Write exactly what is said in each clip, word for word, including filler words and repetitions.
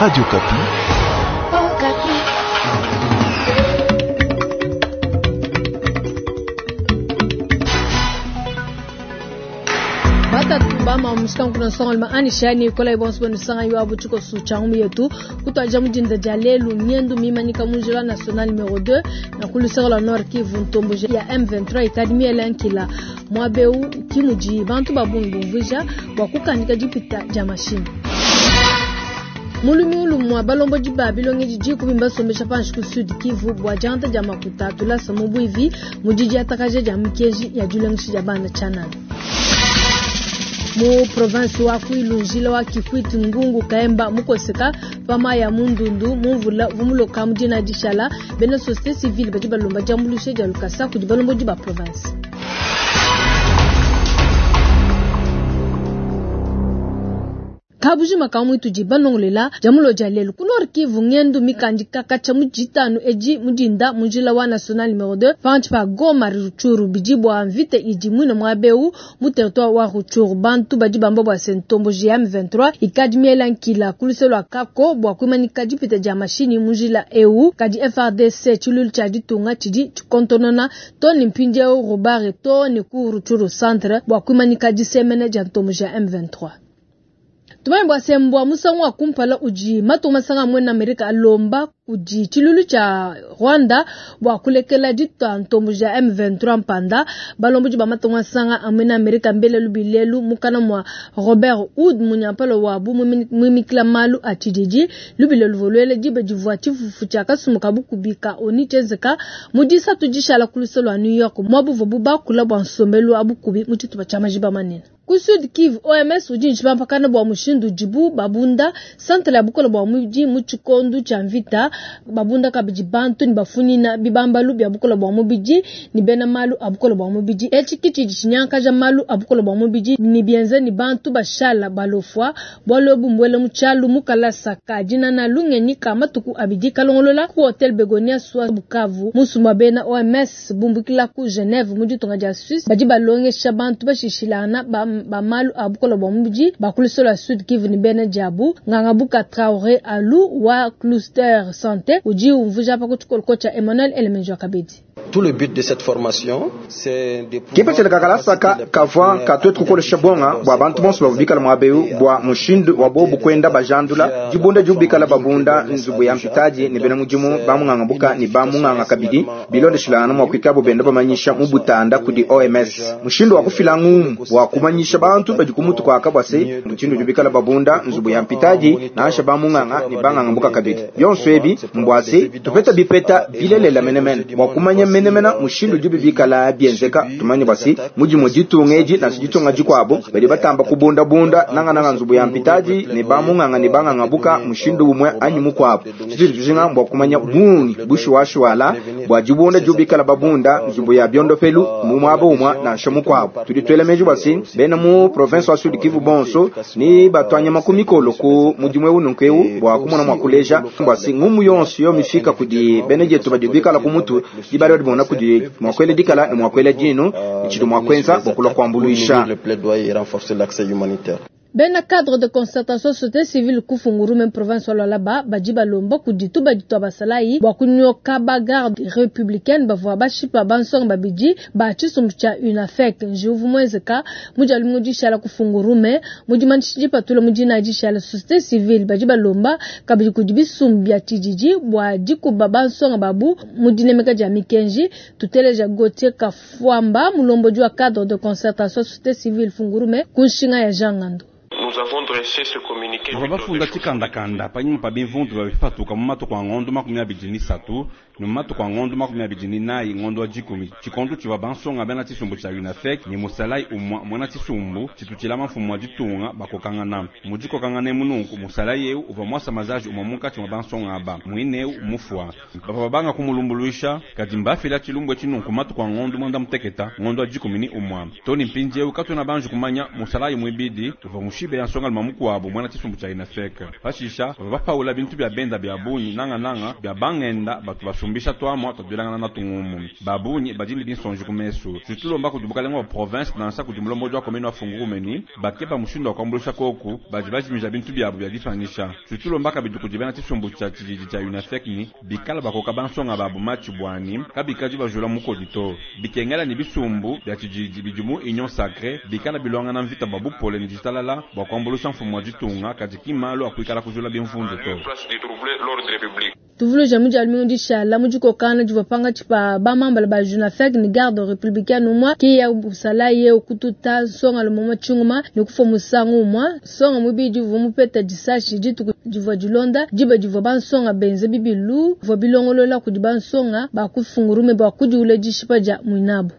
Radio Okapi. Oh, Okapi. Batatu bama musika kuna songo lima anishani kola ibonso benu sanga yo abu chiko su changu yetu kutwaja mujinda ja lelu nyendu mimanyika munjila national numero deux na kulusaka la Nord Kivu ntombo ya M vingt-trois ikadi miela nkila mwabeu kimuji bantu babungi bumvuja bwa kukandika jipita ja mashini. Mulumi ulumwa balombo jiba bilonge jiji kubimba sombesha panshi ku Sud Kivu bwa janta ja makuta tulasa mubwivi mujiji atakaje ja mkeji ya julengishi ja bana chanana. Mu province wa Kwilu njila wa Kikwit Ngungu Kaemba mukoseka pama ya Mundundu mumvula vumuloka mujina dishala bena société civile baji balomba jambulushe ja lukasa kudi balombo jiba province. Kabuji makamu ituji banongolela jamulo jalelu ku Nord Kivu ngendu mikandika kacha mujitanu eji mujinda mujila wa national numero deux panchi pa Goma Rutshuru bijibwa mvite iji mwina mwabeu mu territoire wa Rutshuru bantu baji bamba bwa sentombo G M vingt-trois ikadi miela nkila kuliselwa kako bwa kumanika jipita ja mashini mujila eu kadi F R D C chilulu cha ditunga chidi chikontonona toni mpinjeo Robert toni ku Rutshuru centre bwa kumanika jisemene ja ntombo G M vingt-trois. Tumai bwa sembwa musangu wa kumpala uji matuma sanga mwena Amerika alomba uji chilulu cha Rwanda bwa kulekela jitwa ntombo ja M vingt-trois mpanda balombo jiba matuma sanga amwena Amerika mbele lubilelu mukana mwa Robert Wood munyampalo wabu mwimikila malu a chijiji lubilelu volwele jibe jivwa chifufu cha kasumuka bukubika oni chenzeka mujisa tujishala kuluselo wa New York mwabu vobu bakula bwa nsombelu abukubi muchituba cha majiba manene. Ku Sud Kivu O M S ujinji pampakana bwa mushindu jibu babunda centre ya bukola bwa muji muchikondu cha mvita babunda kabiji bantu ni bafuni na bibambalu bya bukola bwa mubiji ni bena malu abukola bwa mubiji echi kichi chinyanka ja malu abukola bwa mubiji ni bienze ni bantu bashala balofwa bwalobu mbwele muchalu mukala saka jina na lungenyi kama tuku abidi kalongolola ku Hotel Begonia swa Bukavu musumba bena O M S bumbukila ku Geneve muji tonga ja Suisse baji balongesha bantu bashishilana ba ba malu abukola bwa mubiji bakulisola Sud Kivu ni bena jabu ngangabuka Traoré Alu wa cluster santé uji umvuja pa kuchukua kocha Emmanuel Elemenjo Kabedi. Tout le but de cette formation, c'est de pouvoir Kipa chele kakala saka kavwa katwe tukukolesha bonga bwa bantu bonso bavubikala mwabeu bwa mushindu wa bobu kwenda bajandula jibunda jubikala babunda nzubu ya mpitaji ni bena mujimu bamung'angabuka ni bamung'anga kabidi bilondeshilana mwa kwikabo benda bamanyisha mubutanda kudi O M S mushindu wa kufila ngumu wa kumanyisha bantu badi kumutu kwa kabwase mushindu jubikala babunda nzubu ya mpitaji naasha bamung'anga ni bang'angabuka kabidi byonso ebi mbwase tupeta bipeta bilelela menemene bwa kumanya menemena mushindu jubi bikala bienzeka tumanye basi muji mujitungeji na sijitunga jikwabo bali batamba kubunda bunda nanga nanga nzubu ya mpitaji ne bamunganga ne banganga buka mushindu bumwe anyi mukwabo tujiri tujinga mbwa kumanya bungi bushwashwala bwa jibunda jubikala babunda nzubu ya byondo pelu mu mwabo umwa na nshomu kwabo tudi twelemeje basi bena mu province wa Sud Kivu bonso ni batwanya makumi kolo ku muji mwe ununkeu bwa kumona mwakuleja basi ngumu yonso yo mifika kudi benejetu bajubikala kumutu dibali bona kudi mwakwele dikala ni mwakwele jinu ichidu mwakwenza bokula kwambuluisha. Le plaidoyer et renforcer l'accès humanitaire. Bena cadre de concertation société civile kufunguru même province wa Lualaba bajiba lomba kuditu baditu abasalai bwa kunyoka ba garde républicaine bavwa bashipa bansonga babidi ba chisumbu cha UNAFEC njiuvu mwezeka muja lumingu jishala kufungurume muji manchi patula muji na jishala société civile bajiba lomba kabidi kudibisumbu bya tijiji bwa dikuba bansonga babu mudinemeka ja mikenji tuteleja Gauthier Kafwamba mulombo jwa cadre de concertation société civile fungurume kunshinga ya Jangando. Nous avons dressé ce communiqué Bava bafunda tshikandakanda panyima pa bimvundu bya bifatuka mu matuku a ng'ondo makumi abidi ni satu ne mu matuku a ng'ondo makumi abidi ni nayi ng'ondo wa dikumi tshikondo tshivua bansonga bena tshisumbu tshia UNAFEC ne musalayi umwa muena tshisumbu tshitutshila mafumu wa ditunga bakokangana mu dikokangana emu nunku musalayi eu uvua muasa mazaji umwa munkatshi mua bansonga aba muine eu mufua bavua babanga kumulumbuluisha kadi mbafila tshilumbu etshi nunku matuku a ng'ondo mwanda muteketa ng'ondo wa dikumi ni umwa toni mpindi eu katwena banji kumanya musalayi muibidi uvua mushibe ya nsonga luma mukuabu muena tshisumbu tshia UNAFEC. Pashisha bavua bapaula bintu bia benda bia bungi nangananga bia bangenda batu basumbisha tuamua tuaduelangana natu ngumu. Babunyi badi ne binsonji ku mesu. Tudi tulomba kudi bukalenga wa province nansha kudi mulombodi wa commune wa Fungurume bakeba mushindu wa kuambuluisha koku badi bajimija bintu biabu bia dipanyisha. Tudi tulomba kabidi kudi bena tshisumbu tshia tshididi tshia UNAFEC ni bikala bakoka bansonga babu matshi bwani kabikadi bajula mukodi to. Bikengela ni bisumbu bia tshididi bidi mu Union Sacrée bikala bilwangana mvita bwa bupole ni ditalala bwa kuambuluisha mfumu wa ditunga kadi ki malu akuikala kujula bimvundu to. Tuvuluja mu dia lumingu dishala mu dikokana divua pangatshi pa bamambala ba UNAFEC ni garde républicaine umwa ki ya busalaye okututa nsonga lumoma tshinguma ni kufa musangu umwa nsonga mubidi uvua mupeta disashi dituku divua dilonda diba divua bansonga benze bibilu bivua bilongolola kudi bansonga bakufungurume bua kudiula dishipa dia muinabu.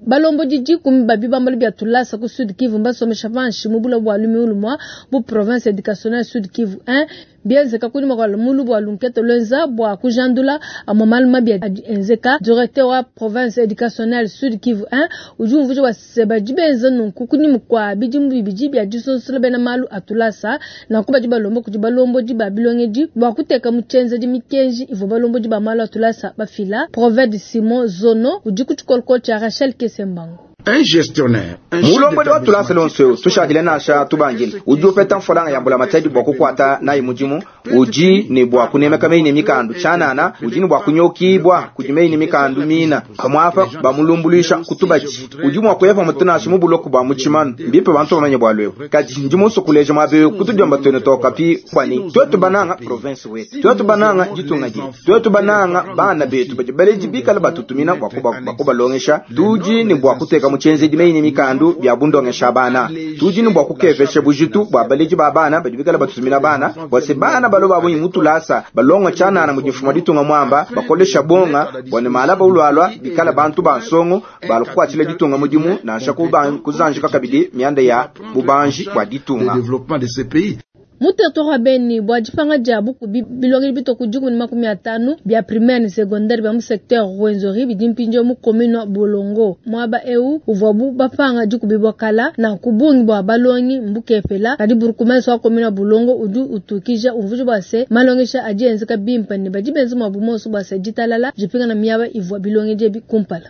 Balombo didi kumi babi bambalo bia tulasa ku Sud Kivu mbasomesha panshi mu bula bwa lumiulu mwa bu province éducationnelle Sud Kivu un bienzeka kunyuma kwa mulu bwa lunkete lwenza bwa kujandula amamalu mabi adi enzeka. Directeur wa province éducationnelle Sud Kivu un udi umvuja wa seba dibenza nunku kunyuma kwa bidimu bibidi bia disonsola bena malu atulasa na kuba di balombo kudi balombo di babilongedi bwa kuteka mu tshenzedi mikenji ivua balombo di ba malu atulasa bafila. Proverbe Simon Zono udi ku tshikolokolo tshia Rachel Kesembango. Un gestionnaire, un chef Mulombodi wa tulasa d'établissement lonso tushadile nasha tubangile udi upeta mfolanga ya mbula matadi bwa kukwata nayi mudimu udi ne bwa kunemeka meyi ne mikandu tshanana udi ne bwa kunyokibwa kudi meyi ne mikandu mina pamwapa bamulumbuluisha kutubachi udi mwa kuyepa mutunasha mu buloku bwa muchimanu mbipe bantu bamanye bwa lwewo kadi ndi muso kuleja mwabeyo kutudiomba twene tokapi kwani twetu bananga province wetu twetu bananga ditunga dietu twetu bananga bana betu badi baleji bikala batutumina bwa kuba- bwa kubalongesha tudi ne bwa kuteka mu tshenzedi meyi ne mikandu bia bundongesha bana tudi ne bwa kukepesha bujitu bwa baleji ba bana badi bikala batutumina bana bwa se bana balo babunyi mutulasa balonga tshanana mu difuma ditunga mwamba bakolesha bonga bwa ne mala baulwalwa bikala bantu ba nsongo balukukwatshila ditunga mudimu nansha kuba- kuzanjika kabidi mianda ya bubanji bwa le ditunga. développement de ce pays. Mu territoire wa Beni bwa dipanga dia bukubi bilongeli bitoku dikumi ne makumi atanu bia primaire ne secondaire bia mu secteur Rwenzori bidi mpindieu mu commune wa Bolongo. Muaba eu uvuabu bapanga dikubi bua kala na kubungi bua balongi mbukepela kadi bourgmestre wa commune wa Bolongo udi utukija umvuja bua se malongesha adi enzeka bimpe ne badi benza muabu monso bua se ditalala dipingana miaba ivua bilongedi ebi kumpala.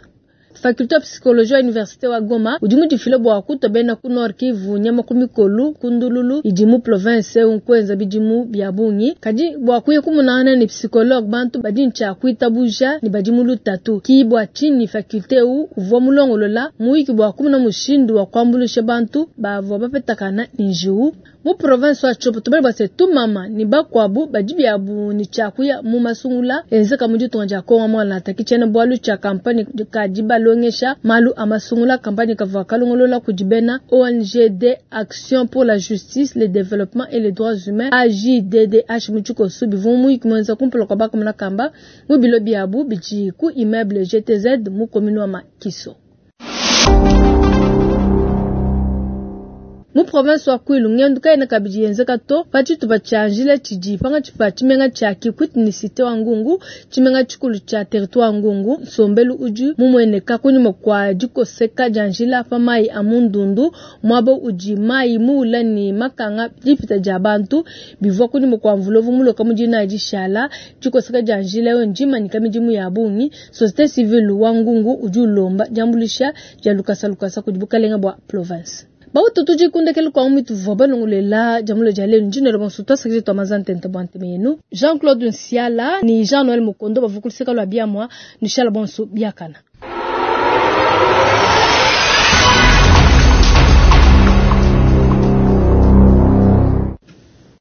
Faculté ya psychologie ya université wa Goma udi mudifile bua kutua bena ku Nord Kivu nyama ku mikolu ku ndululu idi mu province nkwenza bidimu bia bungi kadi bua kuya kumunangana ne psychologue bantu badi ntshia kuitabuja ne badi mu lutatu ki bua tshinyi faculté u uvua mulongolola muyiki bua kumuna mushindu wa kuambuluisha bantu bavua bapetakana ne njiwu mu province wa Tshopo. Tubale bua se tumama ni bakuabu badi biabu ni tshia kuya mu masungula enzeka mu ditunga dia Kongo mwana taki tshiena bualu tshia kampanye kadi balongesha malu a masungula kampanye kavua kalongolola kudi bena O N G D Action pour la Justice, le Développement et les Droits Humains A J D D H mu tshikoso bivua muyiki muenza kumpala kua bakamuna kamba mu bilo biabu bidi ku immeuble G T Z mu commune wa Makiso. Mu province wa Kwilu ngendu kaina kabidi yenzeka to pa tshitupa tshia njila tshidi pangatshi pa tshimenga tshia Kikwit ni cité wa Ngungu tshimenga tshikulu tshia territoire Ngungu nsombelu udi mumueneka kunyuma kwa dikoseka dia njila pa mayi a mundundu muaba udi mayi muula ni makanga dipita dia bantu bivua kunyuma kwa mvulovu muloka mu dina dishala dikoseka dia njila yo ndimanyika midimu ya bungi. Société civile wa Ngungu udi ulomba diambuluisha dia lukasa lukasa kudi bukalenga bua province. Bautu tujikundekele kwa umitu vua balongolela jamulo dia lelu ndino lo bonso twasakije twa mazantente bwa nteme yenu. Jean-Claude Nsiala ni Jean-Noël Mukondo bavukuliseka lwa biamwa ni shala bonso biakana.